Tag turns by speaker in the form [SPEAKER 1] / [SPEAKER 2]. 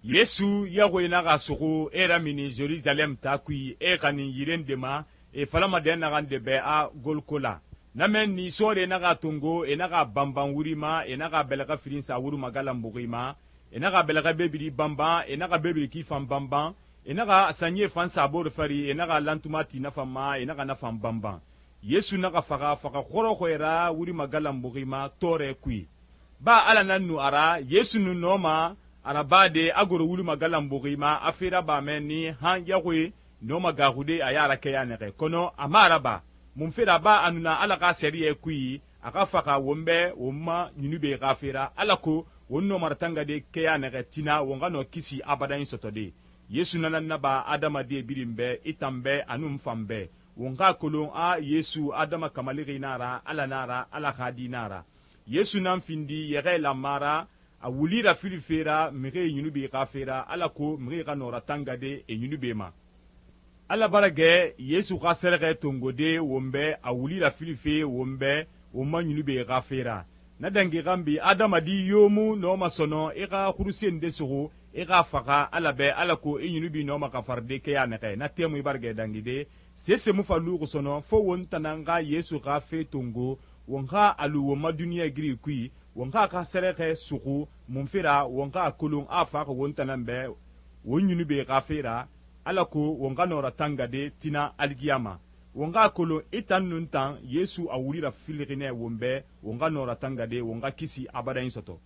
[SPEAKER 1] yesu yaxoyi naxa suxu e ramini jerusalem taa kui e xanin yiren de ma e falama dɛ naxan de bɛ a golkola na men ni sore naxa tongo e naxa banban wuri ma e naxa bɛlɛxɛ firin sa wuru magalanbuxi ma e naxa bɛlɛxɛ bebiri banban e naxa bebiri ki fan banban e naxa sanye fan sabori fari e naxa lantuma ti na fan ma e naxa na fan banban yesu naxa faxa xɔrɔxɔɛ ra wuri magalanbuxi ma tɔɔrɛ kui ba ala nan nu a ra yesu nu nɔma arabade a goro wuri magalanbuxi ma a fera ba mɛ ni han yaxuye nɔma gaxude a yara kɛya nɛxɛ kɔnɔ a ma araba mun fera ba a nuna ala xa sɛriyɛ kui a xa faxa won bɛ won ma ɲunube xa fera alako won nɔmaratangade kɛya nɛxɛ tina won xa nɔ kisi abadan sɔtɔde yesu nana naba adamaden birin bɛ i tan bɛ anun fan bɛ won xa kolon a yesu adama kamalixi na ra ala na ra ala xa di na ra yesu nan findi yɛxɛ lanma ra a wulira fili fera mixi ɲunube xa fera alako mixi xa nɔra tangade e ɲunube ma ala bara gɛ yesu xa sɛrɛxɛ tongode won bɛ a wulira fili fe won bɛ won ma ɲunube xa fera na dangi xanbi adamadi yo mu nɔma sɔnɔ i xa xurusen de suxu i xa faxa ala bɛ alako i ɲunubi nɔma xa faride kɛya nɛxɛ na temu i bara gɛ dangide sese mu fa luxu sɔnɔ fo won tanan xa yesu xa fe tongo won xa a lu won ma duniɲɛ giri kui won xa xa sɛrɛxɛ suxu mun fera won xa a kolon a faxa won tanan bɛ won ɲunube xa fera alako won xa nɔra tangade tina aligiyama won xa kolon i tan nun tan yesu a wulira filixinɛ won bɛ won xa nɔra tangade won xa kisi abadayin sɔtɔ